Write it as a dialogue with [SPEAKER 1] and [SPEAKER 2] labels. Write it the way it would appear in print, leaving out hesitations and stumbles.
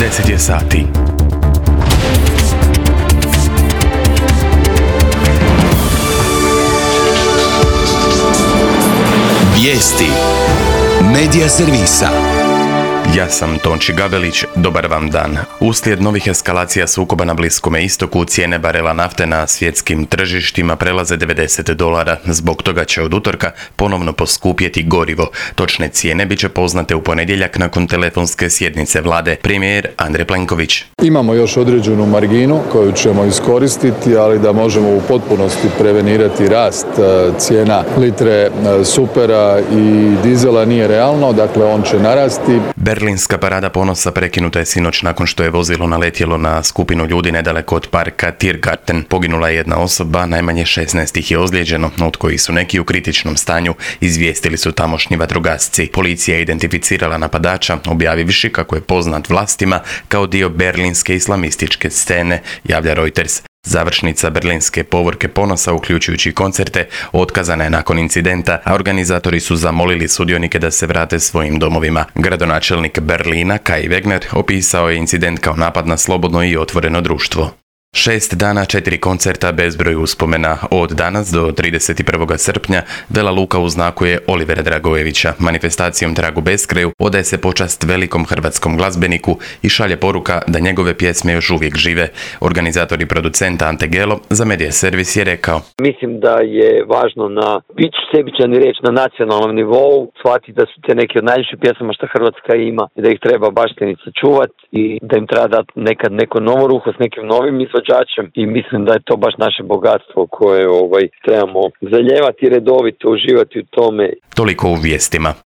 [SPEAKER 1] 10 je sati.
[SPEAKER 2] Vijesti Medija servisa.
[SPEAKER 1] Ja sam Tonči Gavelić, dobar vam dan. Uslijed novih eskalacija sukoba na Bliskome istoku, cijene barela nafte na svjetskim tržištima prelaze $90. Zbog toga će od utorka ponovno poskupjeti gorivo. Točne cijene bit će poznate u ponedjeljak nakon telefonske sjednice vlade. Premijer Andrej Plenković.
[SPEAKER 3] Imamo još određenu marginu koju ćemo iskoristiti, ali da možemo u potpunosti prevenirati rast cijena litre supera i dizela nije realno, dakle on će narasti.
[SPEAKER 1] Berlinska parada ponosa prekinuta je sinoć nakon što je vozilo naletjelo na skupinu ljudi nedaleko od parka Tiergarten. Poginula je jedna osoba, najmanje 16 ih je ozlijeđeno, od kojih su neki u kritičnom stanju, izvijestili su tamošnji vatrogasci. Policija je identificirala napadača, objavivši kako je poznat vlastima kao dio berlinske islamističke scene, javlja Reuters. Završnica berlinske povorke ponosa, uključujući koncerte, otkazana je nakon incidenta, a organizatori su zamolili sudionike da se vrate svojim domovima. Gradonačelnik Berlina, Kai Wegner, opisao je incident kao napad na slobodno i otvoreno društvo. 6 dana, 4 koncerta, bezbroj uspomena. Od danas do 31. srpnja Vela Luka uznakuje Olivera Dragojevića. Manifestacijom Tragu beskraju odaje se počast velikom hrvatskom glazbeniku i šalje poruka da njegove pjesme još uvijek žive. Organizator i producent Ante Gelo za Medija servis je rekao:
[SPEAKER 4] Mislim da je važno biti sebičan i reći na nacionalnom nivou, shvatiti da su te neke od najljepših pjesama što Hrvatska ima i da ih treba baštiniti, sačuvati i da im treba dati nekad neko novo ruho s nekim novim izvođačem i mislim da je to baš naše bogatstvo koje trebamo zaljevati i redovito uživati u tome.
[SPEAKER 1] Toliko u vijestima.